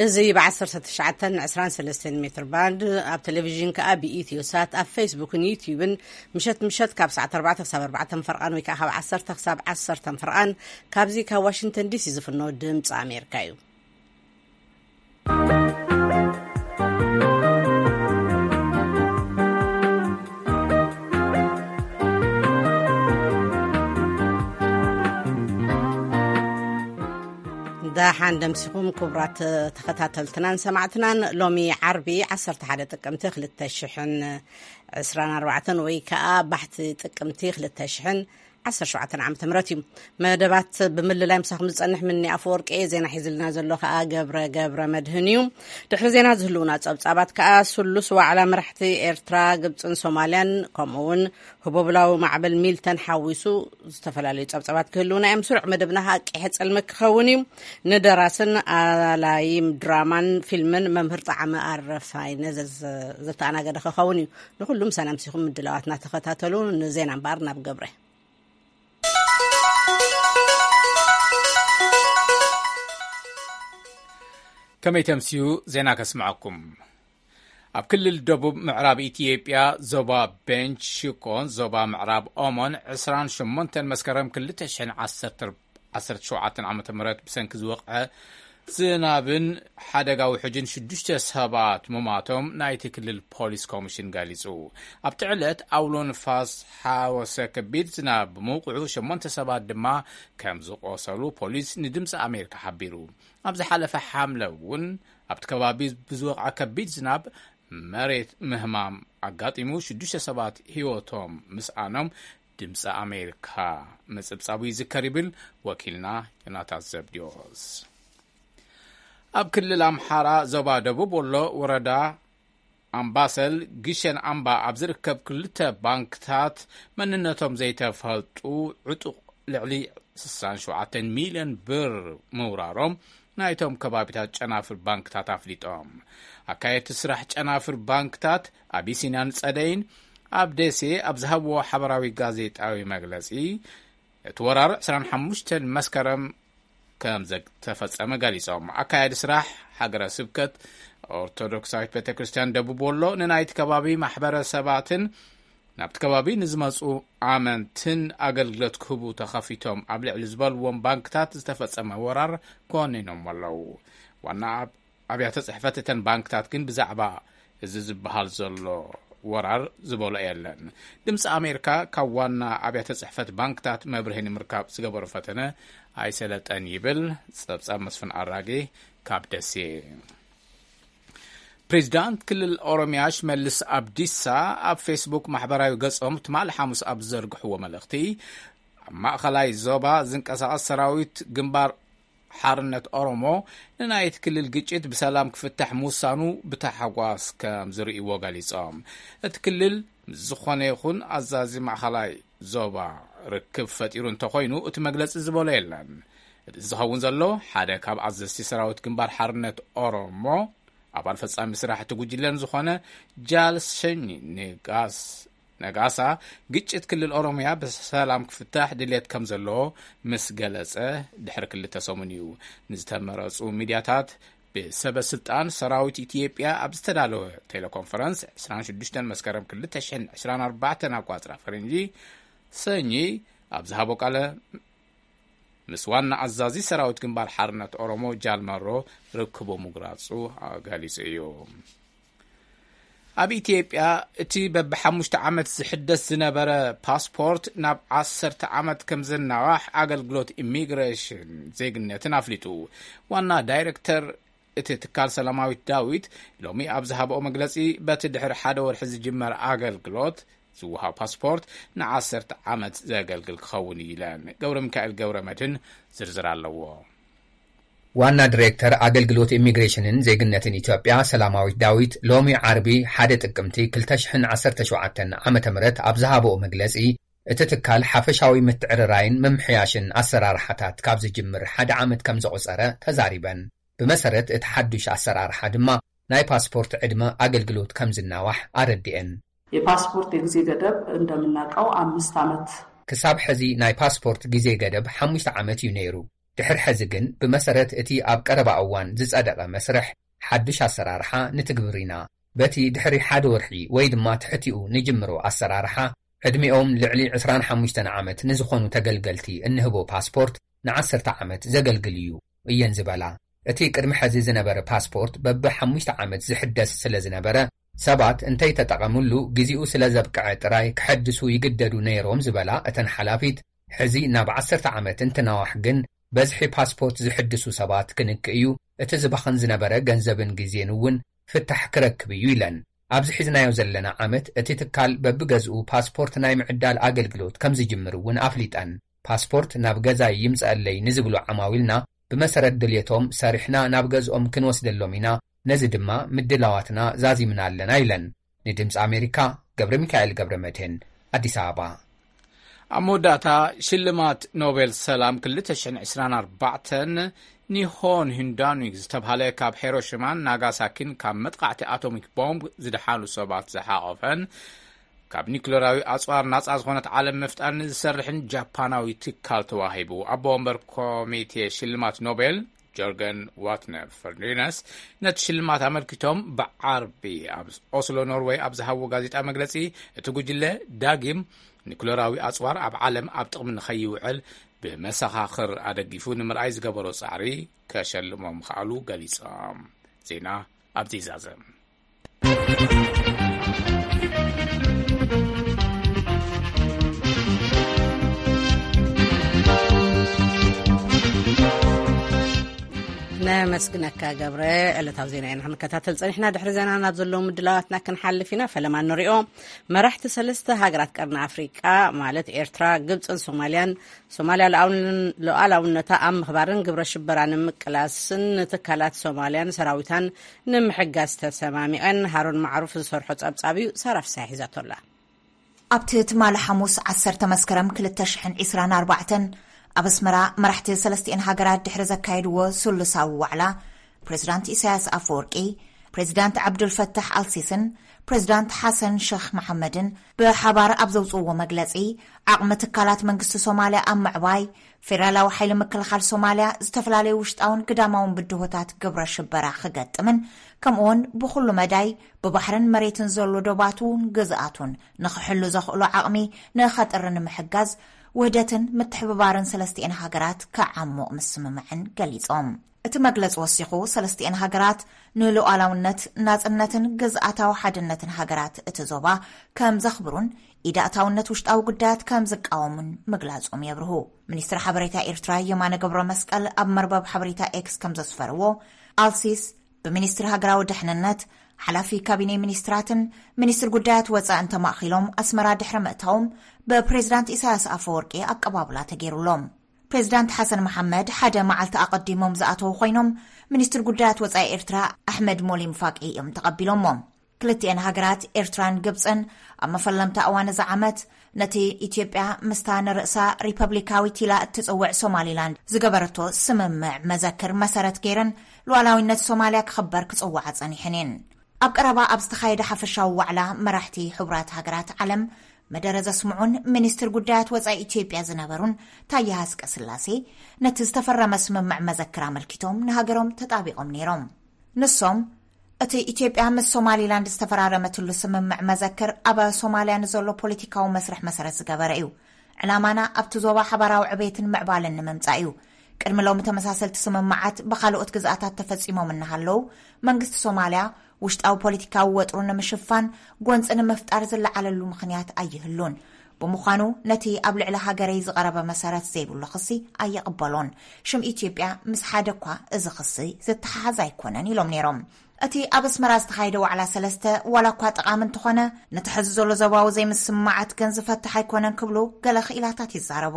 እዚ ብ19 23 ሜትር ባንድ ኣብ ቴሌቪዥን ከኣ ብኢትዮ ሳት ኣብ ፌስቡክን ዩቲዩብን ምሸት ምሸት ካብ ሰዓት ኣርባዕተ ክሳብ ኣርባዕተ ፈርቓን ወይ ከኣ ካብ ዓሰርተ ክሳብ ዓሰርተ ፈርቓን ካብዚ ካብ ዋሽንግተን ዲሲ ዝፍኖ ድምፂ ኣሜሪካ እዩ። ደሓን ደምሲኹም ክቡራት ተኸታተልትናን ሰማዕትናን። ሎሚ ዓርቢ ዓሰርተ ሓደ ጥቅምቲ ክልተ ሽሕን ዕስራን ኣርባዕተን ወይ ከኣ ባሕቲ ጥቅምቲ ክልተ ሽሕን ዓሰርተ ሸውዓተን ዓመተ ምህረት እዩ። መደባት ብምልላይ ምሳኹም ዝጸንሕ ምኒ ኣፈወርቂ እየ። ዜና ሒዝልና ዘሎ ከኣ ገብረ ገብረ መድህን እዩ። ድሕሪ ዜና ዝህልውና ጸብጻባት ከኣ ስሉስ ዋዕላ መራሕቲ ኤርትራ፣ ግብጽን ሶማልያን ከምኡ እውን ህቦብላዊ ማዕበል ሚልተን ሓዊሱ ዝተፈላለዩ ጸብጻባት ክህልውና እዮም። ስሩዕ መደብና ከኣ ቂሐ ጸልመ ክኸውን እዩ። ንደራስን ኣላይም ድራማን ፊልምን መምህር ጣዕመ ኣረፋይነ ዘዝ-፣ ዘተኣናገደ ክኸውን እዩ። ንኹሉም ሰላም ሲኹም ምድላዋትና ተኸታተሉ። ንዜና እምበኣር ናብ ገብረ። ከመይ ተምስዩ ዜና ከስምዐኩም። ኣብ ክልል ደቡብ ምዕራብ ኢትዮጵያ ዞባ ቤንች ሽኮን ዞባ ምዕራብ ኦሞን ዕስራን ሸሞንተን መስከረም ክልተ ሽሕን ዓሰርተ ዓሰርተ ሸውዓተን ዓመተ ምህረት ብሰንኪ ዝወቕዐ ዝናብን ሓደጋ ውሕጅን ሽዱሽተ ሰባት ምሟቶም ናይቲ ክልል ፖሊስ ኮሚሽን ገሊጹ። ኣብቲ ዕለት ኣውሎ ንፋስ ሓወሰ ከቢድ ዝናብ ብምውቅዑ ሸሞንተ ሰባት ድማ ከም ዝቆሰሉ ፖሊስ ንድምፂ ኣሜሪካ ሓቢሩ። ኣብ ዝሓለፈ ሓምለ እውን ኣብቲ ከባቢ ብዝወቕዐ ከቢድ ዝናብ መሬት ምህማም ኣጋጢሙ ሽዱሽተ ሰባት ህይወቶም ምስኣኖም ድምፂ ኣሜሪካ ምፅብፃቡ ይዝከር ይብል ወኪልና ዮናታን ዘብዲዮስ። ኣብ ክልል ኣምሓራ ዞባ ደቡብ ወሎ ወረዳ ኣምባሰል ግሸን ኣምባ ኣብ ዝርከብ ክልተ ባንክታት መንነቶም ዘይተፈልጡ ዕጡቕ ልዕሊ ስሳን ሸውዓተን ሚልዮን ብር ምውራሮም ናይቶም ከባቢታት ጨናፍር ባንክታት ኣፍሊጦም። ኣካየድቲ ስራሕ ጨናፍር ባንክታት ኣቢሲንያን ጸደይን ኣብ ደሴ ኣብ ዝሃብዎ ሓበራዊ ጋዜጣዊ መግለጺ፣ እቲ ወራር ዕስራን ሓሙሽተን መስከረም ከም ዝተፈጸመ ገሊጾም። ኣካያዲ ስራሕ ሃገረ ስብከት ኦርቶዶክሳዊት ቤተ ክርስቲያን ደቡብ ወሎ ንናይቲ ከባቢ ማሕበረሰባትን ናብቲ ከባቢ ንዝመጹ ኣመንትን ኣገልግሎት ክህቡ ተኸፊቶም ኣብ ልዕሊ ዝበልዎም ባንክታት ዝተፈጸመ ወራር ኮኒኖም ኣለዉ። ዋና ኣብ-፣ ኣብያተ ጽሕፈት እተን ባንክታት ግን ብዛዕባ እዚ ዝበሃል ዘሎ ወራር ዝበሎ የለን። ድምፂ ኣሜሪካ ካብ ዋና ኣብያተ ጽሕፈት ባንክታት መብርሂ ንምርካብ ዝገበሮ ፈተነ ኣይሰለጠን ይብል ጸብጻብ መስፍን ኣራጌ ካብ ደሴ። ፕሬዚዳንት ክልል ኦሮሚያ ሽመልስ ኣብዲሳ ኣብ ፌስቡክ ማሕበራዊ ገጾም ትማሊ ሓሙስ ኣብ ዝዘርግሕዎ መልእኽቲ፣ ኣብ ማእኸላይ ዞባ ዝንቀሳቐስ ሰራዊት ግንባር ሓርነት ኦሮሞ ንናይቲ ክልል ግጭት ብሰላም ክፍታሕ ምውሳኑ ብታሕጓስ ከም ዝርእይዎ ገሊጾም። እቲ ክልል ምስ ዝኾነ ይኹን ኣዛዚ ማእኸላይ ዞባ ርክብ ፈጢሩ እንተኾይኑ እቲ መግለጺ ዝበሎ የለን። እዚ ዝኸውን ዘሎ ሓደ ካብ ኣዘዝቲ ሰራዊት ግንባር ሓርነት ኦሮሞ ኣባል ፈጻሚ ስራሕ እቲ ጉጅለን ዝኾነ ጃል ሸኝ ንጋስ-፣ ነጋሳ ግጭት ክልል ኦሮሚያ ብሰላም ክፍታሕ ድሌት ከም ዘለዎ ምስ ገለጸ ድሕሪ ክልተ ሰሙን እዩ። ንዝተመረጹ ሚድያታት ብሰበ ስልጣን ሰራዊት ኢትዮጵያ ኣብ ዝተዳለወ ቴሌኮንፈረንስ ዕስራን ሽዱሽተን መስከረም ክልተ ሽሕን ዕስራን ኣርባዕተን ኣቋጽራ ፈረንጂ ሰኚ ኣብ ዝሃቦ ቃለ ምስ ዋና ኣዛዚ ሰራዊት ግንባር ሓርነት ኦሮሞ ጃል መሮ ርክቡ ምጉራጹ ገሊጹ እዩ። ኣብ ኢትዮጵያ እቲ በብሓሙሽተ ዓመት ዝሕደስ ዝነበረ ፓስፖርት ናብ ዓሰርተ ዓመት ከም ዝናዋሕ ኣገልግሎት ኢሚግሬሽን ዜግነትን ኣፍሊጡ። ዋና ዳይሬክተር እቲ ትካል ሰላማዊት ዳዊት ሎሚ ኣብ ዝሃብኦ መግለጺ፣ በቲ ድሕሪ ሓደ ወርሒ ዝጅመር ኣገልግሎት ዝወሃብ ፓስፖርት ንዓሰርተ ዓመት ዘገልግል ክኸውን እዩ ኢለን። ገብረ ሚካኤል ገብረ መድህን ዝርዝር ኣለዎ። ዋና ዲሬክተር ኣገልግሎት ኢሚግሬሽንን ዜግነትን ኢትዮጵያ ሰላማዊት ዳዊት ሎሚ ዓርቢ ሓደ ጥቅምቲ ክልተ ሽሕን ዓሰርተ ሸውዓተን ዓመተ ምህረት ኣብ ዝሃብኦ መግለጺ፣ እቲ ትካል ሓፈሻዊ ምትዕርራይን ምምሕያሽን ኣሰራርሓታት ካብ ዝጅምር ሓደ ዓመት ከም ዘቑጸረ ተዛሪበን። ብመሰረት እቲ ሓዱሽ ኣሰራርሓ ድማ ናይ ፓስፖርት ዕድመ ኣገልግሎት ከም ዝናዋሕ ኣረዲኤን። የፓስፖርት የጊዜ ገደብ እንደምናውቀው አምስት ዓመት። ክሳብ ሕዚ ናይ ፓስፖርት ግዜ ገደብ ሓሙሽተ ዓመት እዩ ነይሩ። ድሕሪ ሕዚ ግን ብመሰረት እቲ ኣብ ቀረባ እዋን ዝጸደቐ መስርሕ ሓድሽ ኣሰራርሓ ንትግብር ኢና። በቲ ድሕሪ ሓደ ወርሒ ወይ ድማ ትሕቲኡ ንጅምሮ ኣሰራርሓ ዕድሚኦም ልዕሊ ዕስራን ሓሙሽተን ዓመት ንዝኾኑ ተገልገልቲ እንህቦ ፓስፖርት ንዓሰርተ ዓመት ዘገልግል እዩ እየን ዝበላ። እቲ ቅድሚ ሕዚ ዝነበረ ፓስፖርት በብሓሙሽተ ዓመት ዝሕደስ ስለ ዝነበረ ሰባት እንተይተጠቐምሉ ግዜኡ ስለ ዘብቅዐ ጥራይ ክሐድሱ ይግደዱ ነይሮም ዝበላ እተን ሓላፊት፣ ሕዚ ናብ ዓሰርተ ዓመት እንትናዋሕ ግን በዝሒ ፓስፖርት ዝሕድሱ ሰባት ክንክእ እዩ፣ እቲ ዝባኽን ዝነበረ ገንዘብን ግዜን እውን ፍታሕ ክረክብ እዩ ኢለን። ኣብዚ ሒዝናዮ ዘለና ዓመት እቲ ትካል በብገዝኡ ፓስፖርት ናይ ምዕዳል ኣገልግሎት ከም ዝጅምር እውን ኣፍሊጠን። ፓስፖርት ናብ ገዛይ ይምጸኣለይ ንዝብሉ ዓማዊልና ብመሰረት ድልየቶም ሰሪሕና ናብ ገዝኦም ክንወስደሎም ኢና፣ ነዚ ድማ ምድላዋትና ዛዚምና ኣለና ኢለን። ንድምፂ ኣሜሪካ ገብረ ሚካኤል ገብረ መድህን ኣዲስ ኣበባ። ኣብ መወዳእታ ሽልማት ኖቤል ሰላም ክልተ ሽሕን ዕስራን ኣርባዕተን ኒሆን ሂንዳንዊ ዝተብሃለ ካብ ሄሮሽማን ናጋሳኪን ካብ መጥቃዕቲ ኣቶሚክ ቦምብ ዝደሓኑ ሰባት ዝሓቖፈን ካብ ኒክለራዊ ኣጽዋር ናጻ ዝኾነት ዓለም ምፍጣር ንዝሰርሕን ጃፓናዊ ትካል ተዋሂቡ። ኣቦ ወንበር ኮሚቴ ሽልማት ኖቤል ጆርገን ዋትነር ፈርዲነስ ነቲ ሽልማት ኣመልኪቶም ብዓርቢ ኣብ ኦስሎ ኖርወይ ኣብ ዝሃብዎ ጋዜጣ መግለጺ፣ እቲ ጉጅለ ዳግም ኒኩለራዊ ኣጽዋር ኣብ ዓለም ኣብ ጥቕሚ ንኸይውዕል ብመሰኻኽር ኣደጊፉ ንምርኣይ ዝገበሮ ጻዕሪ ከሸልሞ ምኽኣሉ ገሊጾም። ዜና ኣብዚ ይዛዘም። ነመስግነካ ገብረ። ዕለታዊ ዜና ኢና ክንከታተል ጸኒሕና። ድሕሪ ዜና ናብ ዘለዉ ምድላዋትና ክንሓልፍ ኢና። ፈለማ ንሪኦ። መራሕቲ ሰለስተ ሃገራት ቀርኒ ኣፍሪቃ ማለት ኤርትራ፣ ግብጽን ሶማልያን፣ ሶማልያ ሉዓላውን-፣ ሉዓላውነታ ኣብ ምኽባርን ግብረ ሽበራ ንምቅላስን ንትካላት ሶማልያን ሰራዊታን ንምሕጋዝ ተሰማሚዐን። ሃሩን ማዕሩፍ ዝሰርሖ ጸብጻብ እዩ። ሳራ ፍሳሐ ሒዛቶ ኣላ። ኣብቲ ትማሊ ሓሙስ ዓሰርተ መስከረም ክልተ ሽሕን ዕስራን ኣርባዕተን ኣብ ኣስመራ መራሕቲ ሰለስቲኤን ሃገራት ድሕሪ ዘካየድዎ ስሉሳዊ ዋዕላ፣ ፕሬዝዳንት ኢሳያስ ኣፈወርቂ፣ ፕሬዝዳንት ዓብዱልፈታሕ ኣልሲስን ፕሬዝዳንት ሓሰን ሸኽ መሓመድን ብሓባር ኣብ ዘውፅእዎ መግለፂ፣ ዓቕሚ ትካላት መንግስቲ ሶማልያ ኣብ ምዕባይ፣ ፌደራላዊ ሓይሊ ምክልኻል ሶማልያ ዝተፈላለዩ ውሽጣውን ግዳማውን ብድሆታት ግብረ ሽበራ ክገጥምን፣ ከምኡውን ብኹሉ መዳይ ብባሕርን መሬትን ዘሎ ዶባቱን ግዝኣቱን ንኽሕሉ ዘኽእሎ ዓቕሚ ንኸጥሪ ንምሕጋዝ፣ ውህደትን ምትሕብባርን ሰለስቲኤን ሃገራት ክዓሙቕ ምስምምዐን ገሊጾም። እቲ መግለጺ ወሲኹ፣ ሰለስቲኤን ሃገራት ንሉዓላውነት፣ ናጽነትን ግዝኣታዊ ሓድነትን ሃገራት እቲ ዞባ ከም ዘኽብሩን ኢድ ኣእታውነት ውሽጣዊ ጉዳያት ከም ዝቃወሙን ምግላጾም የብርሁ። ሚኒስትር ሓበሬታ ኤርትራ የማነ ገብረመስቀል ኣብ መርበብ ሓበሬታ ኤክስ ከም ዘስፈርዎ፣ ኣልሲስ ብሚኒስትሪ ሃገራዊ ድሕንነት፣ ሓላፊ ካቢኔ ሚኒስትራትን ሚኒስትር ጉዳያት ወጻእን ተማእኺሎም ኣስመራ ድሕሪ ምእታዎም፣ ብፕሬዝዳንት ኢሳያስ ኣፈወርቂ ኣቀባብላ ተገይሩሎም። ፕሬዝዳንት ሓሰን መሓመድ ሓደ መዓልቲ ኣቐዲሞም ዝኣተዉ ኮይኖም፣ ሚኒስትር ጉዳያት ወጻኢ ኤርትራ ኣሕመድ ሞሊም ፋቂ እዮም ተቐቢሎሞም። ክልቲኤን ሃገራት ኤርትራን ግብጽን ኣብ መፈለምታ እዋን እዚ ዓመት ነቲ ኢትዮጵያ ምስታ ንርእሳ ሪፐብሊካዊት ኢላ እትጽውዕ ሶማሊላንድ ዝገበረቶ ስምምዕ መዘክር መሰረት ገይረን ሉዓላዊነት ሶማልያ ክኽበር ክጽውዓ ጸኒሐን እየን። ኣብ ቀረባ ኣብ ዝተኻየደ ሓፈሻዊ ዋዕላ መራሕቲ ሕቡራት ሃገራት ዓለም መደረ ዘስምዑን ሚኒስትር ጉዳያት ወጻኢ ኢትዮጵያ ዝነበሩን ታየ ሃስቀ ስላሴ ነቲ ዝተፈረመ ስምምዕ መዘክር ኣመልኪቶም ንሃገሮም ተጣቢቖም ነይሮም። ንሶም፣ እቲ ኢትዮጵያ ምስ ሶማሊላንድ ዝተፈራረመትሉ ስምምዕ መዘክር ኣብ ሶማልያ ንዘሎ ፖለቲካዊ መስርሕ መሰረት ዝገበረ እዩ። ዕላማና ኣብቲ ዞባ ሓባራዊ ዕቤትን ምዕባለን ንምምጻእ እዩ። ቅድሚ ሎሚ ተመሳሰልቲ ስምምዓት ብኻልኦት ግዝኣታት ተፈጺሞም እናሃለዉ፣ መንግስቲ ሶማልያ ውሽጣዊ ፖለቲካዊ ወጥሩ ንምሽፋን ጎንጺ ንምፍጣር ዝለዓለሉ ምኽንያት ኣይህሉን። ብምዃኑ ነቲ ኣብ ልዕሊ ሃገረይ ዝቐረበ መሰረት ዘይብሉ ክሲ ኣይቕበሎን። ሽም ኢትዮጵያ ምስ ሓደ እኳ እዚ ክሲ ዝተሓሓዝ ኣይኮነን ኢሎም ነይሮም። እቲ ኣብ ኣስመራ ዝተኻየደ ዋዕላ ሰለስተ ዋላ እኳ ጠቓሚ እንተኾነ፣ ነቲ ሕዚ ዘሎ ዞባዊ ዘይምስምማዓት ግን ዝፈትሕ ኣይኮነን ክብሉ ገለ ክኢላታት ይዛረቡ።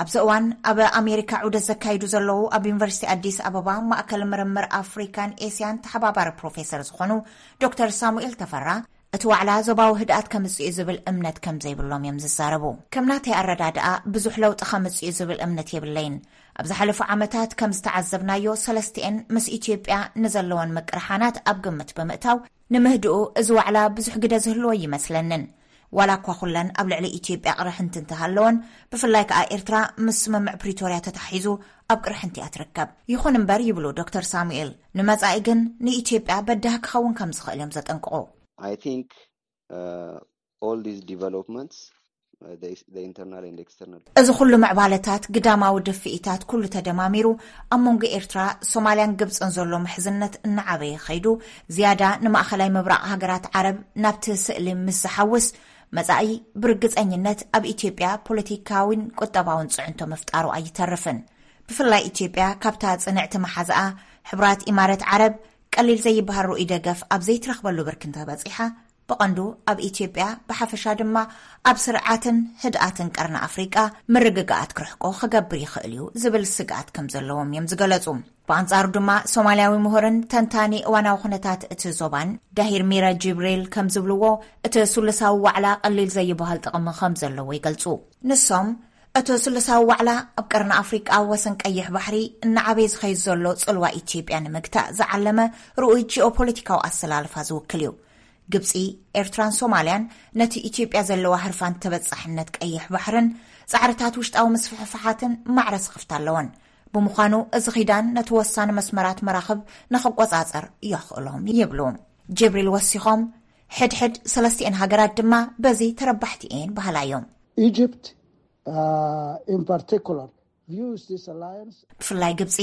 ኣብዚ እዋን ኣብ ኣሜሪካ ዑደት ዘካይዱ ዘለዉ ኣብ ዩኒቨርሲቲ ኣዲስ ኣበባ ማእከል ምርምር ኣፍሪካን ኤስያን ተሓባባሪ ፕሮፌሰር ዝኾኑ ዶክተር ሳሙኤል ተፈራ፣ እቲ ዋዕላ ዞባዊ ህድኣት ከምጽእ እዩ ዝብል እምነት ከም ዘይብሎም እዮም ዝዛረቡ። ከም ናተይ ኣረዳድኣ ብዙሕ ለውጢ ከምጽእ እዩ ዝብል እምነት የብለይን። ኣብ ዝሓለፉ ዓመታት ከም ዝተዓዘብናዮ ሰለስቲኤን ምስ ኢትዮጵያ ንዘለወን ምቅርሓናት ኣብ ግምት ብምእታው ንምህድኡ እዚ ዋዕላ ብዙሕ ግደ ዝህልዎ ይመስለንን። ዋላ እኳ ኩለን ኣብ ልዕሊ ኢትዮጵያ ቅርሕንቲ እንተሃለወን፣ ብፍላይ ከኣ ኤርትራ ምስ ስምምዕ ፕሪቶርያ ተታሒዙ ኣብ ቅርሕንቲ እያ ትርከብ። ይኹን እምበር ይብሉ ዶክተር ሳሙኤል፣ ንመጻኢ ግን ንኢትዮጵያ በዳህ ክኸውን ከም ዝኽእል እዮም ዘጠንቅቑ። I think uh, all these developments, uh, the, the internal and external እዚ ኩሉ ምዕባለታት፣ ግዳማዊ ድፍኢታት ኩሉ ተደማሚሩ፣ ኣብ መንጎ ኤርትራ፣ ሶማልያን ግብጽን ዘሎ ምሕዝነት እናዓበየ ኸይዱ፣ ዝያዳ ንማእኸላይ ምብራቕ ሃገራት ዓረብ ናብቲ ስእሊ ምስ ዝሓውስ፣ መጻኢ ብርግጸኝነት ኣብ ኢትዮጵያ ፖለቲካዊን ቁጠባውን ጽዕንቶ ምፍጣሩ ኣይተርፍን። ብፍላይ ኢትዮጵያ ካብታ ጽንዕቲ መሓዝኣ ሕቡራት ኢማረት ዓረብ ቀሊል ዘይበሃል ርኡይ ደገፍ ኣብ ዘይትረኽበሉ ብርኪ እንተበጺሓ፣ ብቐንዱ ኣብ ኢትዮጵያ፣ ብሓፈሻ ድማ ኣብ ስርዓትን ህድኣትን ቀርኒ ኣፍሪቃ ምርግጋኣት ክርሕቆ ክገብር ይኽእል እዩ ዝብል ስግኣት ከም ዘለዎም እዮም ዝገለጹ። ብኣንጻሩ ድማ ሶማልያዊ ምሁርን ተንታኒ እዋናዊ ኩነታት እቲ ዞባን ዳሂር ሚረ ጅብሪል ከም ዝብልዎ፣ እቲ ሱሉሳዊ ዋዕላ ቀሊል ዘይበሃል ጥቕሚ ከም ዘለዎ ይገልጹ። ንሶም፣ እቲ ሱሉሳዊ ዋዕላ ኣብ ቀርኒ ኣፍሪቃ ወሰን ቀይሕ ባሕሪ እናዓበየ ዝኸይድ ዘሎ ጽልዋ ኢትዮጵያ ንምግታእ ዝዓለመ ርኡይ ጂኦፖለቲካዊ ኣሰላልፋ ዝውክል እዩ። ግብጺ፣ ኤርትራን ሶማልያን ነቲ ኢትዮጵያ ዘለዋ ህርፋን ተበጻሕነት ቀይሕ ባሕርን ጻዕርታት ውሽጣዊ ምስፍሕፍሓትን ማዕረ ስኽፍታ ኣለወን። ብምዃኑ እዚ ኺዳን ነቲ ወሳኒ መስመራት መራኽብ ንኽቆጻጸር የኽእሎም ይብሉ ጅብሪል ወሲኾም። ሕድሕድ ሰለስቲኤን ሃገራት ድማ በዚ ተረባሕቲ እየን በሃላ እዮም። Egypt, uh, in particular, views this alliance ብፍላይ ግብጺ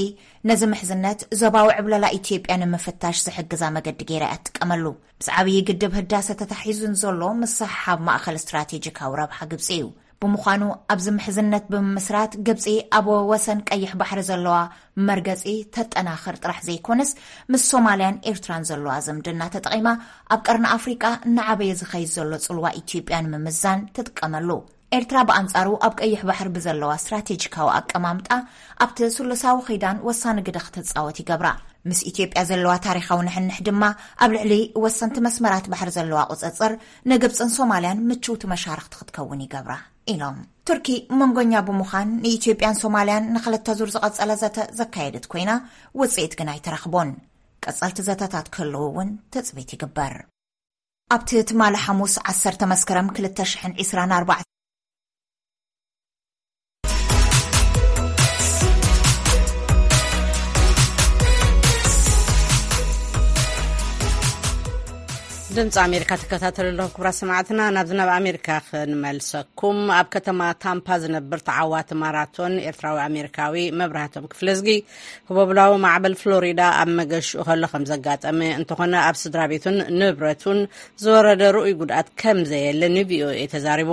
ነዚ ምሕዝነት ዞባዊ ዕብለላ ኢትዮጵያ ንምፍታሽ ዝሕግዛ መገዲ ገይራ እያ ትጥቀመሉ። ምስ ዓብዪ ግድብ ህዳሰ ተታሒዙ ንዘሎ ምስሕሓብ ማእኸል ስትራቴጂካዊ ረብሓ ግብጺ እዩ። ብምዃኑ ኣብዚ ምሕዝነት ብምምስራት ግብጺ ኣብ ወሰን ቀይሕ ባሕሪ ዘለዋ መርገጺ ተጠናኽር ጥራሕ ዘይኮነስ ምስ ሶማልያን ኤርትራን ዘለዋ ዝምድና ተጠቒማ ኣብ ቀርኒ ኣፍሪቃ እናዓበየ ዝኸይድ ዘሎ ጽልዋ ኢትዮጵያ ንምምዛን ትጥቀመሉ። ኤርትራ ብኣንጻሩ ኣብ ቀይሕ ባሕሪ ብዘለዋ ስትራቴጂካዊ ኣቀማምጣ ኣብቲ ስሉሳዊ ኺዳን ወሳኒ ግደ ክትጻወት ይገብራ። ምስ ኢትዮጵያ ዘለዋ ታሪኻዊ ንሕንሕ ድማ ኣብ ልዕሊ ወሰንቲ መስመራት ባሕሪ ዘለዋ ቁጽጽር ንግብጽን ሶማልያን ምችውቲ መሻርኽቲ ክትከውን ይገብራ ኢሎም። ቱርኪ መንጎኛ ብምዃን ንኢትዮጵያን ሶማልያን ንኽልተ ዙር ዝቐጸለ ዘተ ዘካየደት ኮይና ውጽኢት ግን ኣይተረኽቦን። ቀጸልቲ ዘተታት ክህልዉ እውን ትጽቢት ይግበር። ኣብቲ ትማሊ ሓሙስ ዓሰርተ መስከረም ክልተ ሽሕን ዕስራን ኣርባዕተን ድምፂ ኣሜሪካ ትከታተሉ ኣለኹም ክቡራት ሰማዕትና። ናብዚ ናብ ኣሜሪካ ክንመልሰኩም። ኣብ ከተማ ታምፓ ዝነብር ተዓዋቲ ማራቶን ኤርትራዊ ኣሜሪካዊ መብራህቶም ክፍለዝጊ ህቦብላዊ ማዕበል ፍሎሪዳ ኣብ መገሽኡ ከሎ ከም ዘጋጠመ፣ እንተኾነ ኣብ ስድራ ቤቱን ንብረቱን ዝወረደ ርኡይ ጉድኣት ከም ዘየለ ንቪኦኤ ተዛሪቡ።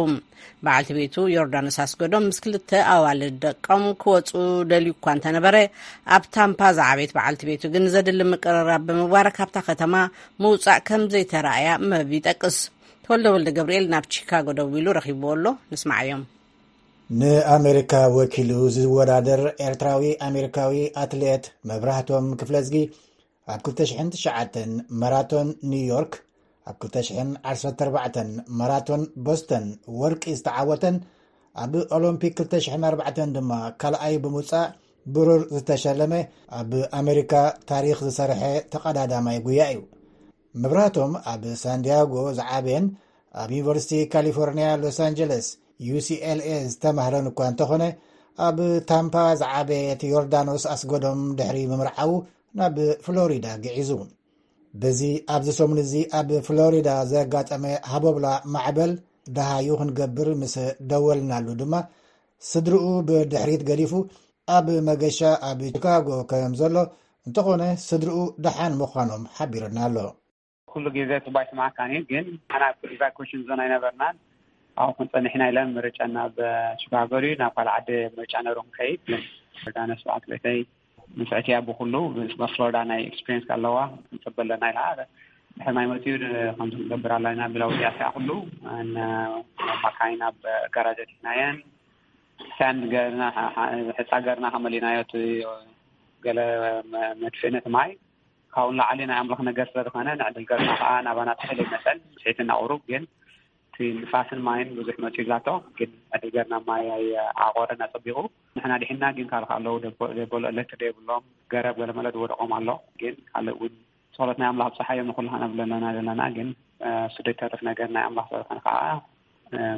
በዓልቲ ቤቱ ዮርዳኖስ ኣስገዶም ምስ ክልተ ኣዋልድ ደቆም ክወፁ ደልዩ እኳ እንተነበረ፣ ኣብ ታምፓ ዝዓበየት በዓልቲ ቤቱ ግን ዘድሊ ምቅርራብ ብምግባር ካብታ ከተማ ምውፃእ ከም ዘይተረኣያ መብ ይጠቅስ። ተወልደ ወልደ ገብርኤል ናብ ቺካጎ ደዊሉ ረኺብዎ ኣሎ። ንስማዓዮም። ንኣሜሪካ ወኪሉ ዝወዳደር ኤርትራዊ ኣሜሪካዊ ኣትሌት መብራህቶም ክፍለዝጊ ኣብ ክልተ ሽሕን ትሽዓተን ማራቶን ኒውዮርክ፣ ኣብ ክልተ ሽሕን ዓሰርተ ኣርባዕተን ማራቶን ቦስተን ወርቂ ዝተዓወተን ኣብ ኦሎምፒክ ክልተ ሽሕን ኣርባዕተን ድማ ካልኣይ ብምውፃእ ብሩር ዝተሸለመ ኣብ ኣሜሪካ ታሪኽ ዝሰርሐ ተቐዳዳማይ ጉያ እዩ። መብራህቶም ኣብ ሳንዲያጎ ዝዓበየን ኣብ ዩኒቨርሲቲ ካሊፎርኒያ ሎስ ኣንጀለስ ዩ ሲ ኤል ኤ ዝተማህረን እኳ እንተኾነ፣ ኣብ ታምፓ ዝዓበየት ዮርዳኖስ ኣስገዶም ድሕሪ ምምርዓዉ ናብ ፍሎሪዳ ግዒዙ። በዚ ኣብዚ ሰሙን እዚ ኣብ ፍሎሪዳ ዘጋጠመ ሃቦብላ ማዕበል ደሃዩ ክንገብር ምስ ደወልናሉ ድማ፣ ስድርኡ ብድሕሪት ገዲፉ ኣብ መገሻ ኣብ ቺካጎ ከም ዘሎ፣ እንተኾነ ስድርኡ ደሓን ምዃኖም ሓቢሩና ኣሎ። ኩሉ ግዜ ጽቡቅ ኣይስማዓካን እዩ፣ ግን ንሕና ኣብ ኢቫኩዌሽን ዞን ኣይነበርናን። ኣብኡ ክንጸንሕ ኢና ኢለን ምርጫ ናብ ቺካጎ ድዩ ናብ ካልእ ዓዲ ምርጫ ነይሩ ክንከይድ፣ ግን ዮርዳኖስ በዓልቲ ቤተይ ምስ ዕትያ ብኩሉ፣ ምስ ፍሎሪዳ ናይ ኤክስፒሪየንስ ኣለዋ፣ ክንጽበ ኣለና ኢላ። ድሕሪ ማይ መጺኡ ከምዚ ክንገብር ኣለና ብላ ወዲኣ እቲኣ ኩሉ ን-፣ መካይን ኣብ ጋራጅ ኣእቲናየን። ሳንድ ገርና፣ ሐ-፣ ሐ-፣ ሕጻ ገርና ከመሊናዮ እቲ ገለ መ-፣ መድፍእነት ማይ ካብኡ ንላዕሊ ናይ ኣምላኽ ነገር ስለ ዝኾነ፣ ንዕድል ገርና ከኣ ናባና ትሕል ይመጸን፣ ስሒትና ቁሩብ፣ ግን እቲ ንፋስን ማይን ብዙሕ መጺኡ ላቶ፣ ግን ዕድል ገርና ማይ ኣይ-፣ ኣቆረን ኣጸቢቑ። ንሕና ድሒና፣ ግን ካልእ ከኣ ኣለዉ ደቦ-፣ ደበሎ ኤሌክትሪክ ደይብሎም፣ ገረብ ገለ መለ ዝወደቖም ኣሎ፣ ግን ካልእ እውን ጸሎት ናይ ኣምላኽ ኣብጽሓዮም ንኹሉ ከነብል ኣለና ዘለና፣ ግን፣ እ፣ እሱ ደይተርፍ ነገር ናይ ኣምላኽ ስለ ዝኾነ ከኣ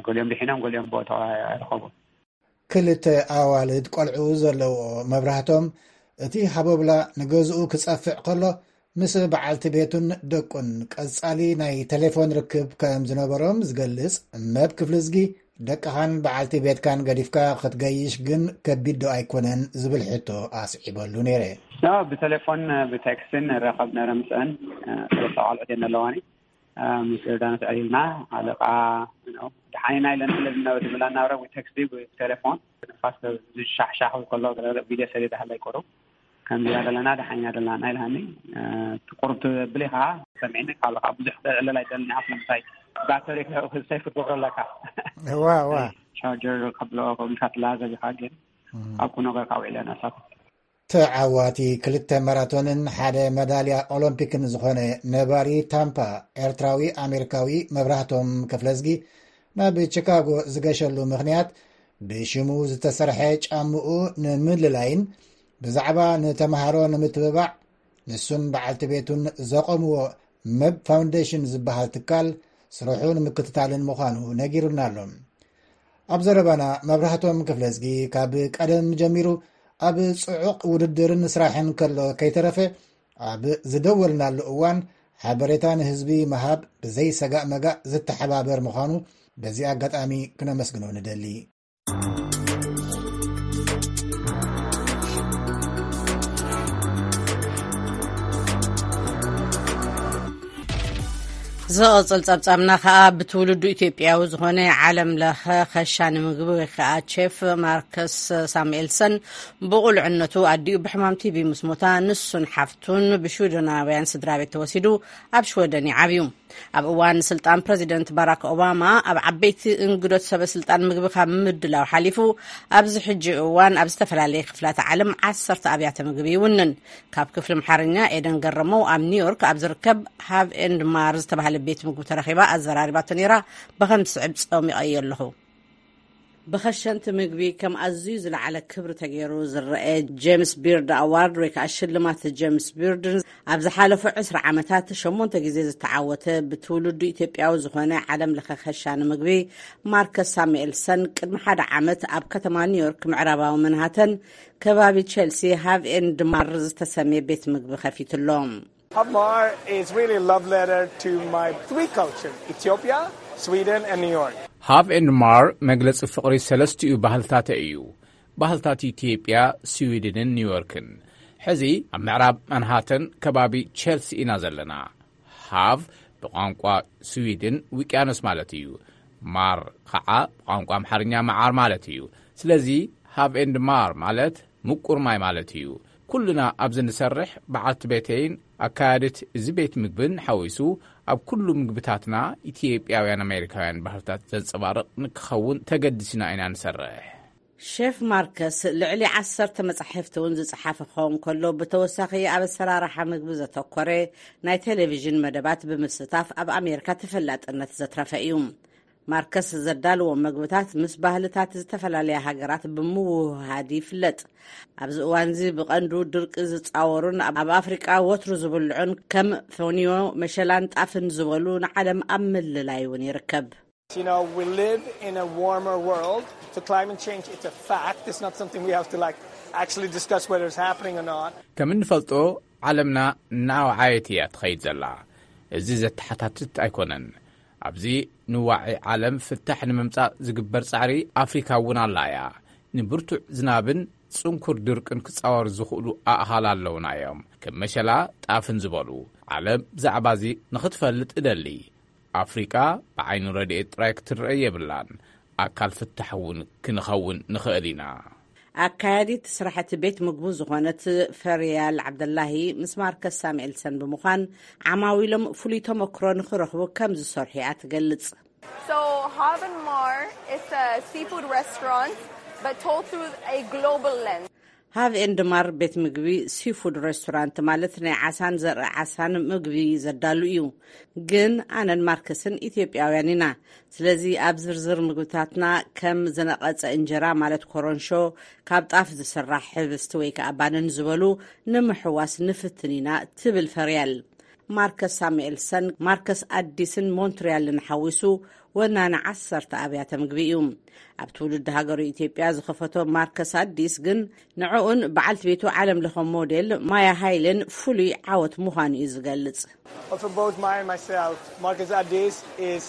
ገሊኦም ድሒኖም፣ ገሊኦም ቦታው ኣይረኸቡን። ክልተ ኣዋልድ ቆልዑ ዘለውኦ መብራህቶም፣ እቲ ሃቦብላ ንገዝኡ ክጸፍዕ ከሎ፣ ምስ በዓልቲ ቤቱን ደቁን ቀጻሊ ናይ ቴሌፎን ርክብ ከም ዝነበሮም ዝገልጽ መብ ክፍልዝጊ፣ ደቅኻን በዓልቲ ቤትካን ገዲፍካ ክትገይሽ ግን ከቢድ ዶ ኣይኮነን ዝብል ሕቶ ኣስዒበሉ ነይረ። ያው ብቴሌፎን ብቴክስትን ንራኸብ ነረ ምስአን። ሰለስተ ቆልዑት እየን ዘለዋኒ። ምስ ዮርዳኖስ ዕሊልና፣ ኣለቃ ደሓኒና ኢለን ስለ ዝነበ ዝብላ እናብረ ብቴክስት ብቴሌፎን ንፋስ ዝሻሕሻሕ ከሎ ቪድዮ ሰሌዳ ሃላይ ቆሩ ከምዚኣ ዘለና ደሓኒና ዘለና ኢልሃኒ። ቁርብ ትብል ኢኻ ሰሚዕኒ። ካብ ኣለቃ ብዙሕ ክዕለል ኣይደልን ኢኻ። ስለምንታይ ባተሪ ሰይፍ ክትገብሮ ኣለካ። ዋ ዋ። ቻርጀር ከብሎ ከብልካ ትላዘብ ኢኻ። ግን ኣብኩ ነገር ካብ ውዕለ ናሳት ተዓዋቲ ክልተ ማራቶንን ሓደ መዳልያ ኦሎምፒክን ዝኾነ ነባሪ ታምፓ ኤርትራዊ ኣሜሪካዊ መብራህቶም ክፍለዝጊ ናብ ቺካጎ ዝገሸሉ ምኽንያት ብሽሙ ዝተሰርሐ ጫምኡ ንምልላይን ብዛዕባ ንተምሃሮ ንምትብባዕ ንሱን በዓልቲ ቤቱን ዘቆምዎ መብ ፋውንዴሽን ዝበሃል ትካል ስርሑ ንምክትታልን ምዃኑ ነጊሩና ኣሎ። ኣብ ዘረባና መብራህቶም ክፍለዝጊ ካብ ቀደም ጀሚሩ ኣብ ጽዑቕ ውድድርን ስራሕን ከሎ ከይተረፈ ኣብ ዝደወልናሉ እዋን ሓበሬታ ንህዝቢ ምሃብ ብዘይ ሰጋእ መጋእ ዝተሓባበር ምዃኑ በዚ ኣጋጣሚ ክነመስግኖ ንደሊ። ዝቕጽል ጸብጻብና ከኣ ብትውልዱ ኢትዮጵያዊ ዝኾነ ዓለም ለኸ ኸሻኒ ምግቢ ወይ ከኣ ቼፍ ማርከስ ሳሙኤልሰን ብቑልዕነቱ ኣዲኡ ብሕማም ቲቢ ምስ ሞታ ንሱን ሓፍቱን ብሽወደናውያን ስድራ ቤት ተወሲዱ ኣብ ሽወደን ይዓብዩ። ኣብ እዋን ስልጣን ፕረዚደንት ባራክ ኦባማ ኣብ ዓበይቲ እንግዶት ሰበ ስልጣን ምግቢ ካብ ምድላው ሓሊፉ ኣብዚ ሕጂ እዋን ኣብ ዝተፈላለየ ክፍላተ ዓለም ዓሰርተ ኣብያተ ምግቢ ይውንን። ካብ ክፍሊ ኣምሓርኛ ኤደን ገረመው ኣብ ኒውዮርክ ኣብ ዝርከብ ሃቭ ኤንድ ማር ዝተባህለ ቤት ምግቢ ተረኺባ ኣዘራሪባቶ ነይራ። ብኸም ዝስዕብ ጸሚቐዮ ኣለኹ። ብኸሸንቲ ምግቢ ከም ኣዝዩ ዝለዓለ ክብሪ ተገይሩ ዝረአ ጄምስ ቢርድ ኣዋርድ ወይ ከዓ ሽልማት ጄምስ ቢርድ ኣብ ዝሓለፉ ዕስራ ዓመታት ሸሞንተ ግዜ ዝተዓወተ ብትውልዱ ኢትዮጵያዊ ዝኾነ ዓለም ለኸ ኸሻኒ ምግቢ ማርከስ ሳሙኤልሰን ቅድሚ ሓደ ዓመት ኣብ ከተማ ኒውዮርክ ምዕራባዊ መንሃተን ከባቢ ቼልሲ ሃቭ ኤንድ ማር ዝተሰምየ ቤት ምግቢ ከፊትሎም። Havmar is really a love letter to my three cultures, Ethiopia, Sweden, and New York. ሃቭ ኤንድ ማር መግለጺ ፍቕሪ ሰለስቲኡ ባህልታተ እዩ። ባህልታት ኢትዮጵያ፣ ስዊድንን ኒውዮርክን። ሕዚ ኣብ ምዕራብ ማንሃተን ከባቢ ቼልሲ ኢና ዘለና። ሃቭ ብቋንቋ ስዊድን ውቅያኖስ ማለት እዩ። ማር ኸዓ ብቋንቋ ኣምሓርኛ መዓር ማለት እዩ። ስለዚ ሃቭ ኤንድ ማር ማለት ምቁር ማይ ማለት እዩ። ኩልና ኣብዚ ንሰርሕ በዓልቲ ቤተይን ኣካያዲት እዚ ቤት ምግብን ሓዊሱ ኣብ ኩሉ ምግብታትና ኢትዮጵያውያን ኣሜሪካውያን ባህልታት ዘንጸባርቕ ንክኸውን ተገዲስና ኢና ንሰርሕ። ሼፍ ማርከስ ልዕሊ ዓሰርተ መጻሕፍቲ እውን ዝጸሓፈ ክኸውን ከሎ ብተወሳኺ ኣብ ኣሰራርሓ ምግቢ ዘተኮረ ናይ ቴሌቪዥን መደባት ብምስታፍ ኣብ ኣሜሪካ ተፈላጥነት ዘትረፈ እዩ። ማርከስ ዘዳልዎም መግብታት ምስ ባህልታት ዝተፈላለያ ሃገራት ብምውህሃድ ይፍለጥ። ኣብዚ እዋንዚ ብቐንዱ ድርቂ ዝጻወሩን ኣብ ኣፍሪቃ ወትሩ ዝብልዑን ከም ፎኒዮ፣ መሸላን ጣፍን ዝበሉ ንዓለም ኣብ ምልላይ እውን ይርከብ። You know, we live in a warmer world. The climate change, it's a fact. It's not something we have to, like, actually discuss whether it's happening or not. ከም እንፈልጦ ዓለምና እናወዓየት እያ ትኸይድ ዘላ። እዚ ዘተሓታትት ኣይኮነን። ኣብዚ ንዋዒ ዓለም ፍታሕ ንምምጻእ ዝግበር ጻዕሪ ኣፍሪካ እውን ኣላ እያ። ንብርቱዕ ዝናብን ጽንኩር ድርቅን ክጻወሩ ዝኽእሉ ኣእኻል ኣለውና እዮም። ከም መሸላ ጣፍን ዝበሉ። ዓለም ብዛዕባ እዚ ንኽትፈልጥ እደሊ። ኣፍሪቃ ብዓይኒ ረድኤት ጥራይ ክትረአ የብላን። ኣካል ፍታሕ እውን ክንኸውን ንኽእል ኢና። ኣካያዲት ስራሕቲ ቤት ምግቡ ዝኾነት ፈርያል ዓብደላሂ ምስ ማርከስ ሳሙኤልሰን ብምዃን ዓማዊሎም ፍሉይ ተመክሮ ንኽረኽቡ ከም ዝሰርሑ እያ ትገልጽ። So Haven Mar is a seafood restaurant, but told through a global lens. ሃቭ ኤንድ ማር ቤት ምግቢ ሲፉድ ሬስቶራንት ማለት ናይ ዓሳን ዘርኢ ዓሳን ምግቢ ዘዳሉ እዩ። ግን ኣነን ማርከስን ኢትዮጵያውያን ኢና። ስለዚ ኣብ ዝርዝር ምግብታትና ከም ዝነቐጸ እንጀራ ማለት ኮረንሾ፣ ካብ ጣፍ ዝስራሕ ሕብስቲ ወይ ከዓ ባንን ዝበሉ ንምሕዋስ ንፍትን ኢና ትብል ፈርያል። ማርከስ ሳሙኤልሰን፣ ማርከስ ኣዲስን ሞንትሪያልን ሓዊሱ ወናኒ ዓሰርተ ኣብያተ ምግቢ እዩ። ኣብ ትውልዲ ሃገሩ ኢትዮጵያ ዝኸፈቶ ማርከስ ኣዲስ ግን ንዕኡን በዓልቲ ቤቱ ዓለም ለኸ ሞዴል ማያ ሃይልን ፍሉይ ዓወት ምዃኑ እዩ ዝገልጽ። For both Maya and myself, Marcus Addis is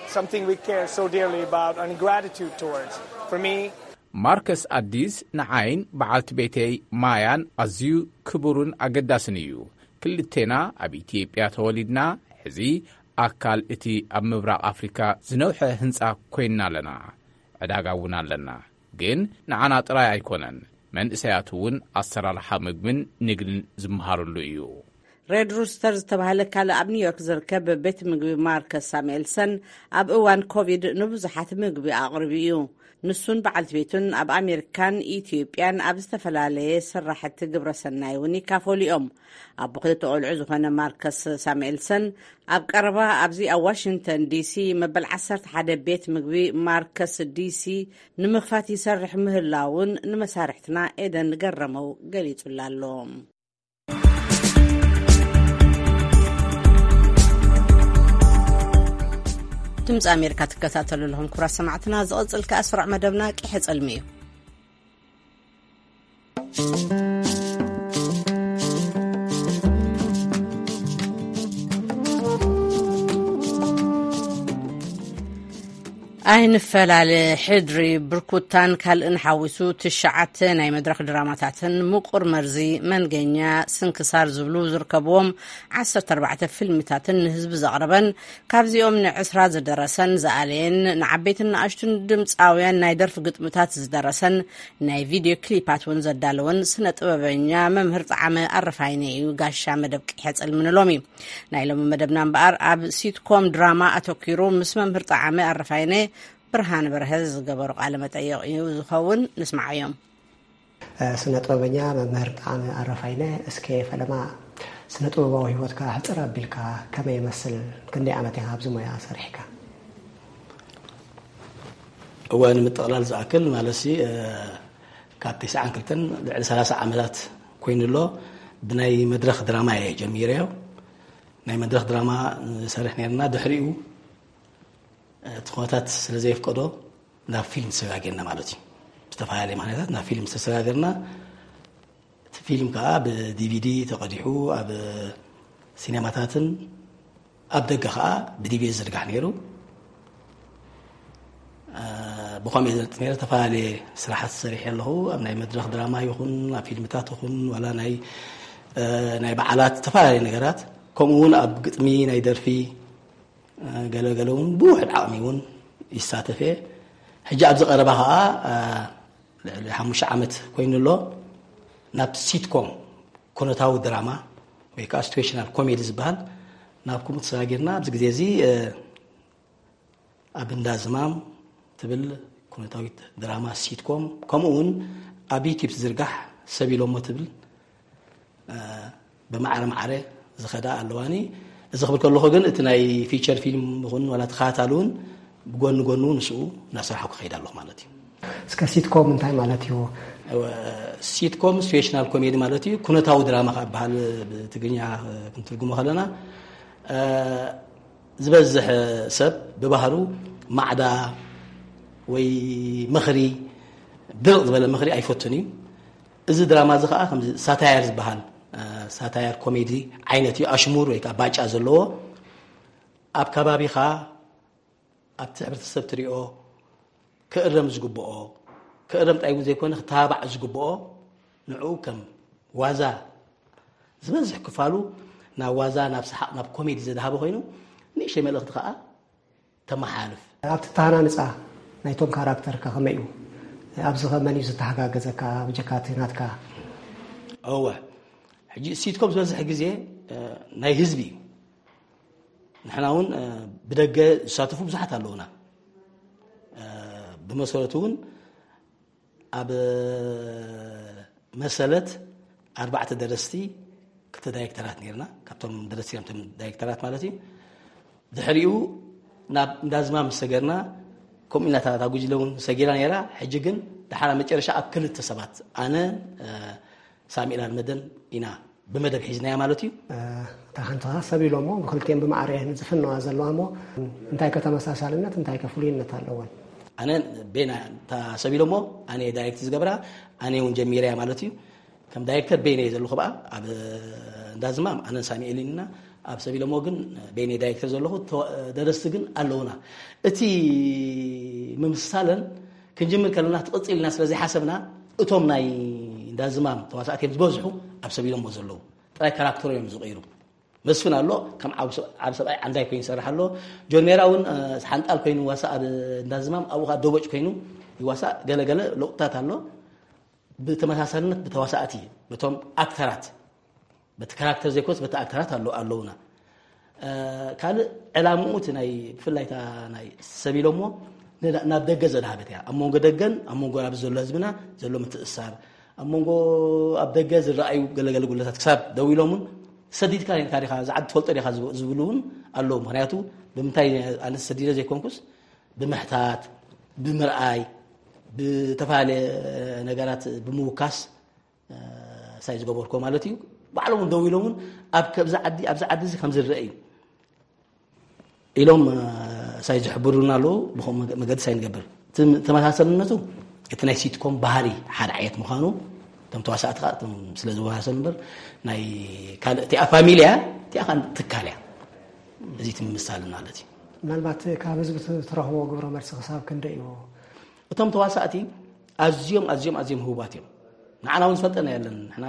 something we care so dearly about and gratitude towards. For me, ማርከስ ኣዲስ ንዓይን በዓልቲ ቤተይ ማያን ኣዝዩ ክቡርን ኣገዳስን እዩ። ክልቴና ኣብ ኢትዮጵያ ተወሊድና፣ ሕዚ ኣካል እቲ ኣብ ምብራቕ ኣፍሪካ ዝነውሐ ህንፃ ኮይንና ኣለና። ዕዳጋ እውን ኣለና። ግን ንዓና ጥራይ ኣይኮነን፣ መንእሰያት እውን ኣሰራርሓ ምግብን ንግድን ዝመሃርሉ እዩ። ሬድ ሩስተር ዝተባህለ ካልእ ኣብ ኒውዮርክ ዝርከብ ቤት ምግቢ ማርከስ ሳሙኤልሰን ኣብ እዋን ኮቪድ ንብዙሓት ምግቢ ኣቕሪቡ እዩ። ንሱን በዓልቲ ቤቱን ኣብ ኣሜሪካን ኢትዮጵያን ኣብ ዝተፈላለየ ስራሕቲ ግብረሰናይ እውን ይካፈሉ እዮም። ኣቦ ክልተ ቆልዑ ዝኾነ ማርከስ ሳሙኤልሰን ኣብ ቀረባ ኣብዚ ኣብ ዋሽንግተን ዲሲ መበል ዓሰርተ ሓደ ቤት ምግቢ ማርከስ ዲሲ ንምኽፋት ይሰርሕ ምህላውን ንመሳርሕትና ኤደን ገረመው ገሊጹላ ኣሎ። ድምፂ ኣሜሪካ ትከታተሉ ኣለኹም ክቡራት ሰማዕትና። ዝቕፅል ከኣ ስሩዕ መደብና ቂሐ ጸልሚ እዩ። ኣይንፈላለ፣ ሕድሪ፣ ብርኩታን ካልእን ሓዊሱ ትሽዓተ ናይ መድረኽ ድራማታትን ምቁር መርዚ፣ መንገኛ፣ ስንክሳር ዝብሉ ዝርከብዎም ዓሰርተ ኣርባዕተ ፊልምታትን ንህዝቢ ዘቕረበን፣ ካብዚኦም ንዕስራ ዝደረሰን ዝኣለየን፣ ንዓበይትን ንኣሽቱን ድምፃውያን ናይ ደርፊ ግጥምታት ዝደረሰን ናይ ቪድዮ ክሊፓት እውን ዘዳለወን ስነ ጥበበኛ መምህር ጣዕመ ኣረፋይነ እዩ ጋሻ መደብ ቂሐ ጸልሚ ንሎሚ። ናይ ሎሚ መደብና እምበኣር ኣብ ሲትኮም ድራማ ኣተኲሩ ምስ መምህር ጣዕመ ኣረፋይነ ብርሃን በርሀ ዝገበሩ ቃለ መጠይቕ እዩ ዝኸውን። ንስምዓዮም። ስነ ጥበበኛ መምህር ጣዕመ ኣረፋይነ፣ እስከ ፈለማ ስነ ጥበባዊ ህይወትካ ሕጽር ኣቢልካ ከመይ ይመስል? ክንደይ ዓመት ኢኻ ኣብዚ ሞያ ሰሪሕካ? እወ፣ ንምጥቕላል ዝኣክል ማለት ሲ ካብ ተስዓን ክልተን ልዕሊ ሰላሳ ዓመታት ኮይኑ ኣሎ። ብናይ መድረኽ ድራማ እየ ጀሚረዮ። ናይ መድረኽ ድራማ ንሰርሕ ነርና። ድሕሪኡ እቲ ኩነታት ስለ ዘየፍቀዶ ናብ ፊልም ተሰጋጊርና ማለት እዩ። ብዝተፈላለየ ምክንያታት ናብ ፊልም ዝተሰጋገርና። እቲ ፊልም ከዓ ብዲቪዲ ተቐዲሑ ኣብ ሲኔማታትን ኣብ ደገ ከዓ ብዲቪዲ ዝርጋሕ ነይሩ። ብኸምኡ እየ ዘንጥ ነረ። ዝተፈላለየ ስራሓት ሰሪሐ ኣለኹ። ኣብ ናይ መድረኽ ድራማ ይኹን ኣብ ፊልምታት ይኹን ዋላ ናይ ናይ በዓላት ዝተፈላለዩ ነገራት፣ ከምኡ እውን ኣብ ግጥሚ ናይ ደርፊ ገለገለ እውን ብውሕድ ዓቕሚ እውን ይሳተፍ እየ። ሕጂ ኣብዚ ቀረባ ከዓ ልዕሊ ሓሙሽተ ዓመት ኮይኑ ኣሎ ናብ ሲትኮም ኩነታዊ ድራማ ወይ ከዓ ሲትዌሽናል ኮሜዲ ዝበሃል ናብ ከምኡ ተሰጋጊርና ኣብዚ ግዜ እዚ ኣብ እንዳ ዝማም ትብል ኩነታዊት ድራማ ሲትኮም፣ ከምኡ እውን ኣብ ዩቲብ ትዝርጋሕ ሰብ ኢሎሞ ትብል ብማዕረ ማዕረ ዝኸዳ ኣለዋኒ። እዚ ክብል ከለኹ ግን እቲ ናይ ፊቸር ፊልም ይኹን ዋላ ተኸታታሊ እውን ብጎኒ ጎኑ ንስኡ እናሰራሕኩ ክኸይድ ኣለኹ ማለት እዩ። እስከ ሲትኮም እንታይ ማለት እዩ? ሲትኮም ሲትዌሽናል ኮሜዲ ማለት እዩ። ኩነታዊ ድራማ ካብ በሃል ብትግርኛ ክንትርጉሞ ከለና ዝበዝሕ ሰብ ብባህሩ ማዕዳ ወይ ምኽሪ ድርቕ ዝበለ ምኽሪ ኣይፈቱን እዩ። እዚ ድራማ እዚ ከዓ ከምዚ ሳታየር ዝበሃል ሳታየር ኮሜዲ ዓይነት እዩ። ኣሽሙር ወይ ከዓ ባጫ ዘለዎ ኣብ ከባቢኻ ኣብቲ ሕብረተሰብ ትሪኦ ክእረም ዝግብኦ ክእረም ጥራይ እውን ዘይኮነ ክተባባዕ ዝግብኦ ንዕኡ ከም ዋዛ ዝበዝሕ ክፋሉ ናብ ዋዛ ናብ ሰሓቕ ናብ ኮሜዲ ዘድሃበ ኮይኑ ንእሽተይ መልእኽቲ ከዓ ተመሓላልፍ። ኣብቲ ኣተሃናንፃ ናይቶም ካራክተርካ ከመይ እዩ? ኣብዚ ከ መን እዩ ዝተሓጋገዘካ ብጀካ እቲ ናትካ? እወ ሕጂ ሲትኮም ዝበዝሕ ግዜ ናይ ህዝቢ እዩ። ንሕና እውን ብደገ ዝሳተፉ ብዙሓት ኣለውና። ብመሰረቱ እውን ኣብ መሰለት ኣርባዕተ ደረስቲ ክልተ ዳይሬክተራት ነርና። ካብቶም ደረስቲ ቶም ዳይሬክተራት ማለት እዩ። ድሕሪኡ ናብ እንዳዝማ ምስ ሰገርና ከምኡ ኢልና እታ ጉጅለ እውን ሰጊራ ነይራ። ሕጂ ግን ድሓር መጨረሻ ኣብ ክልተ ሰባት ኣነ ሳሚኤል ኣልመደን ኢና ብመደብ ሒዝናያ ማለት እዩ። እታ ሓንቲ ሰብ ኢሎሞ ብክልቲኦም ብማዕረ ዝፍነዋ ዘለዋ እሞ እንታይ ከተመሳሳልነት እንታይ ከፍሉይነት ኣለወን? ኣነ ቤና እታ ሰብ ኢሎሞ ኣነ ዳይሬክት ዝገብራ ኣነ እውን ጀሚረያ ማለት እዩ። ከም ዳይሬክተር ቤነ እየ ዘለኹ ብኣ ኣብ እንዳዝማም ኣነን ሳሚኤልን ኢና። ኣብ ሰብ ኢሎሞ ግን ቤነ ዳይሬክተር ዘለኹ፣ ደረስቲ ግን ኣለውና። እቲ ምምስሳለን ክንጅምር ከለና ትቕፅል ኢልና ስለ ዘይሓሰብና እቶም ናይ እንዳዝማም ተዋሳእቲ እዮም ዝበዝሑ ኣብ ሰብ ኢሎሞ ዘለዉ። ጥራይ ካራክተር እዮም ዝቕይሩ። መስፍን ኣሎ ከም ዓብ ሰብኣይ ዓንዳይ ኮይኑ ይሰርሕ ኣሎ። ጆን ሜራ እውን ሓንጣል ኮይኑ ይዋሳእ ኣብ እንዳዝማም፣ ኣብኡ ከዓ ደቦጭ ኮይኑ ይዋሳእ። ገለገለ ለውጥታት ኣሎ። ብተመሳሳልነት ብተዋሳእቲ በቶም ኣክተራት በቲ ካራክተር ዘይኮስ በቲ ኣክተራት ኣለውና። ካልእ ዕላምኡ እቲ ናይ ብፍላይ እታ ናይ ሰብ ኢሎሞ ናብ ደገ ዘድሃበት እያ። ኣብ መንጎ ደገን ኣብ መንጎ ኣብዚ ዘሎ ህዝብና ዘሎ ምትእሳር፣ ኣብ መንጎ ኣብ ደገ ዝረኣዩ ገለገለ ጉለታት ክሳብ ደው ኢሎምን ሰዲድካ ኔርካ ዲኻ ዝዓዲ ትፈልጦ ዲኻ ዝብሉ እውን ኣለዉ። ምክንያቱ ብምንታይ ኣነ ሰዲደ ዘይኮንኩስ ብምሕታት፣ ብምርኣይ፣ ብተፈላለየ ነገራት ብምውካስ ሳይ ዝገበርኮ ማለት እዩ። ባዕሎም እውን ደው ኢሎም እውን ኣብ ኣብዚ ዓዲ ኣብዚ ዓዲ እዚ ከም ዝረአ እዩ ኢሎም ሳይ ዝሕብሩና ኣለዉ። ብኸም መገዲ ሳይ ንገብር ተመሳሰልነቱ እቲ ናይ ሲትኮም ባህሪ ሓደ ዓይነት ምዃኑ እቶም ተዋሳእቲ ከዓ እቶም ስለ ዝወሳሰሉ እምበር ናይ ካልእ እቲኣ ፋሚልያ እቲኣ ከዓ ትካል እያ። እዚ እቲ ምምሳል ማለት እዩ። ምናልባት ካብ ህዝቢ ትረኽቦ ግብረ መልሲ ክሳብ ክንደይ እዩ? እቶም ተዋሳእቲ ኣዝዮም ኣዝዮም ኣዝዮም ህቡባት እዮም። ንዓና እውን ዝፈልጠና የለን። ንሕና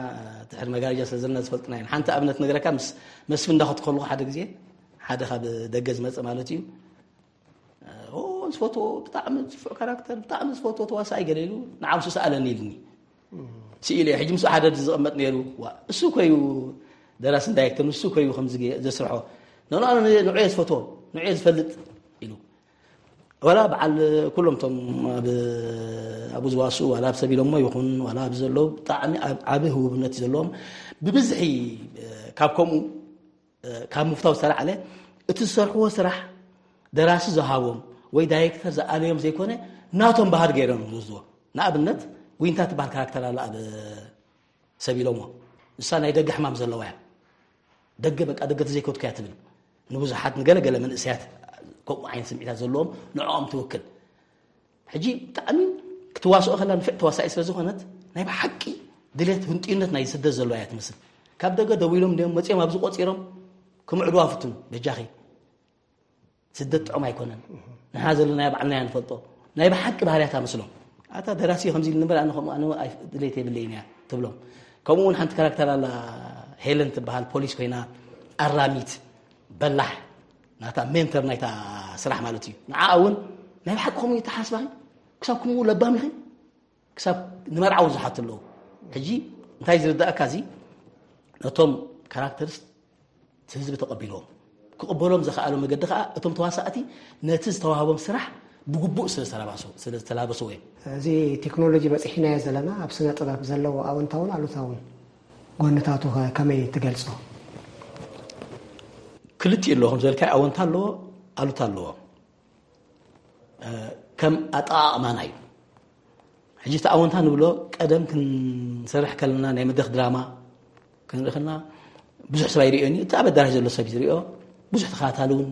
ድሕሪ መጋረጃ ስለ ዘለና ዝፈልጥና የለን። ሓንቲ ኣብነት ነገረካ ምስ መስፍን እንዳኸድኩ ከለኹ ሓደ ግዜ ሓደ ካብ ደገ ዝመፀ ማለት እዩ ዝፈትዎ ብጣዕሚ ዝፍዕ ካራክተር ብጣዕሚ ዝፈትዎ ተዋሳኣይ ገለ ኢሉ ንዓምሱ ሰኣለኒ ኢልኒ ስኢለ ሕጂ ምስ ሓደ ዝቕመጥ ነይሩ እሱ ኮዩ ደራስን ዳይሬክተር ንሱ ኮዩ ከም ዘስርሖ ንዕዮ ዝፈትዎ ንዕዮ ዝፈልጥ ኢሉ ዋላ በዓል ኩሎም ቶም ኣብኡ ዝዋስኡ ዋላ ኣብ ሰብ ኢሎሞ ይኹን ዋላ ኣብዚ ዘለዉ ብጣዕሚ ዓቢ ህቡብነት እዩ ዘለዎም ብብዝሒ ካብ ከምኡ ካብ ምፍታው ዝተላዕለ እቲ ዝሰርሕዎ ስራሕ ደራሲ ዝሃቦም ወይ ዳይሬክተር ዝኣለዮም ዘይኮነ ናቶም ባህር ገይሮም ዝወስድዎ። ንኣብነት ዊንታ ትበሃል ካራክተር ኣላ ኣብ ሰብ ኢሎሞ ንሳ ናይ ደገ ሕማም ዘለዋ እያ። ደገ በቃ ደገ ተዘይከድኩ እያ ትብል ንብዙሓት ንገለገለ መንእሰያት ከምኡ ዓይነት ስምዒታት ዘለዎም ንዕኦም ትውክል። ሕጂ ብጣዕሚ ክትዋስኦ ከላ ንፍዕ ተዋሳኢ ስለ ዝኾነት ናይ ብሓቂ ድሌት ህንጥዩነት ናይ ስደት ዘለዋ እያ ትመስል። ካብ ደገ ደዊሎም እንዲኦም መፅኦም ኣብዚ ቆፂሮም ክምዕድዋ ፍትኑ በጃኺ ስደት ጥዑም ኣይኮነን። ንሕና ዘለናዮ ባዕልናዮ ንፈልጦ ናይ ብሓቂ ባህርያት ኣመስሎም። ኣታ ደራሲ ከምዚ ኢሉ ንበር ኣነ ከምኡ ኣነ ድሌት የብለይን እያ ትብሎም። ከምኡ እውን ሓንቲ ካራክተር ኣላ ሄለን ትበሃል ፖሊስ ኮይና ኣራሚት በላሕ ናታ ሜንተር ናይታ ስራሕ ማለት እዩ። ንዓ እውን ናይ ብሓቂ ከምኡ ይተሓስባኺ ክሳብ ከምኡ ለባም ኢኺ ክሳብ ንመርዓ እውን ዝሓቱ ኣለዉ። ሕጂ እንታይ ዝርዳእካ እዚ ነቶም ካራክተርስ ህዝቢ ተቐቢልዎም ክቕበሎም ዘኽኣሎ መገዲ ከዓ እቶም ተዋሳእቲ ነቲ ዝተዋህቦም ስራሕ ብግቡእ ስለ ዝተላበስዎ እዮም። እዚ ቴክኖሎጂ በፂሒናዮ ዘለና ኣብ ስነ ጥበብ ዘለዎ ኣወንታውን ኣሉታውን ጎንታቱ ከመይ ትገልፆ? ክልቲኡ ኣለዎ ከም ዝበልካዮ ኣወንታ ኣለዎ ኣሉታ ኣለዎ። ከም ኣጠቓቕማና እዩ። ሕጂ እቲ ኣወንታ ንብሎ ቀደም ክንሰርሕ ከለና ናይ መድረኽ ድራማ ክንርኢ ከለና ብዙሕ ሰብ ኣይርእዮን እዩ። እቲ ኣብ ኣዳራሽ ዘሎ ሰብ ዝሪኦ ብዙሕ ተኸታታሊ እውን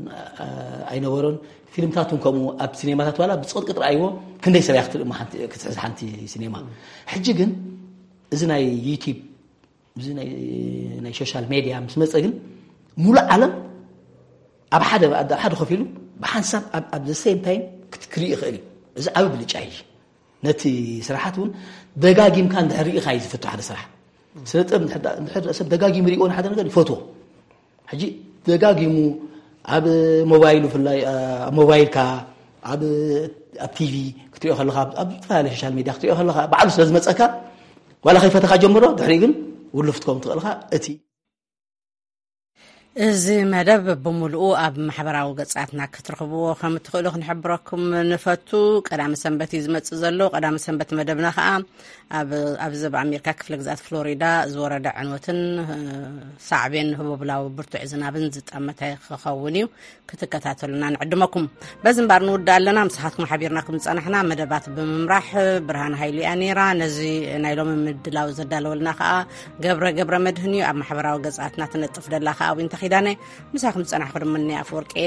ኣይነበሮን። ፊልምታት እውን ከምኡ ኣብ ሲኔማታት ዋላ ብፅቕጥቅጥ ረኣይዎ ክንደይ ሰብ እያ ክትርኢ ክትሕዝ ሓንቲ ሲኔማ። ሕጂ ግን እዚ ናይ ዩቲብ እዚ ናይ ሶሻል ሜድያ ምስ መፀ ግን ሙሉእ ዓለም ኣብ ሓደ ኣብ ሓደ ኮፍ ኢሉ ብሓንሳብ ኣብ the same time ክርኢ ይኽእል እዩ። እዚ ዓቢ ብልጫ እዩ። ነቲ ስራሓት እውን ደጋጊምካ እንድሕር ርኢኻ እዩ ዝፈቱ ሓደ ስራሕ። ስነ ጥበብ እንድሕር ሰብ ደጋጊሙ ሪእዎ ንሓደ ነገር ይፈትዎ። ሕጂ ደጋጊሙ ኣብ ሞባይሉ ብፍላይ ኣብ ሞባይልካ ኣብ ኣብ ቲቪ ክትሪኦ ከለካ ኣብ ዝተፈላለየ ሶሻል ሚድያ ክትሪኦ ከለካ ባዕሉ ስለ ዝመፀካ ዋላ ከይፈተካ ጀምሮ ድሕሪኡ ግን ውሉፍ ትከውን ትኽእልካ እቲ እዚ መደብ ብምሉኡ ኣብ ማሕበራዊ ገጻትና ክትረኽብዎ ከም እትኽእሉ ክንሕብረኩም ንፈቱ። ቀዳሚ ሰንበት እዩ ዝመጽእ ዘሎ። ቀዳሚ ሰንበት መደብና ከኣ ኣብ፣ ኣብ ዘብ ኣሜሪካ ክፍለ ግዝኣት ፍሎሪዳ ዝወረደ ዕንወትን፣ እ፣ ሳዕቤን ህቦብላዊ ብርቱዕ ዝናብን ዝጠመተ ክኸውን እዩ። ክትከታተሉና ንዕድመኩም። በዚ እምባር ንውዳእ ኣለና። ምሳኻትኩም ሓቢርና ከም ዝጸናሕና መደባት ብምምራሕ ብርሃን ሃይሉ እያ ነይራ። ነዚ ናይ ሎሚ ምድላው ዘዳለወልና ከኣ ገብረ፣ ገብረ መድህን እዩ። ኣብ ማሕበራዊ ገጻትና ትነጥፍ ደላ ከኣ ዊንታ ኪዳነ። ምሳኹም ዝጸናሕኩ ድማ እኒ ኣፍወርቂ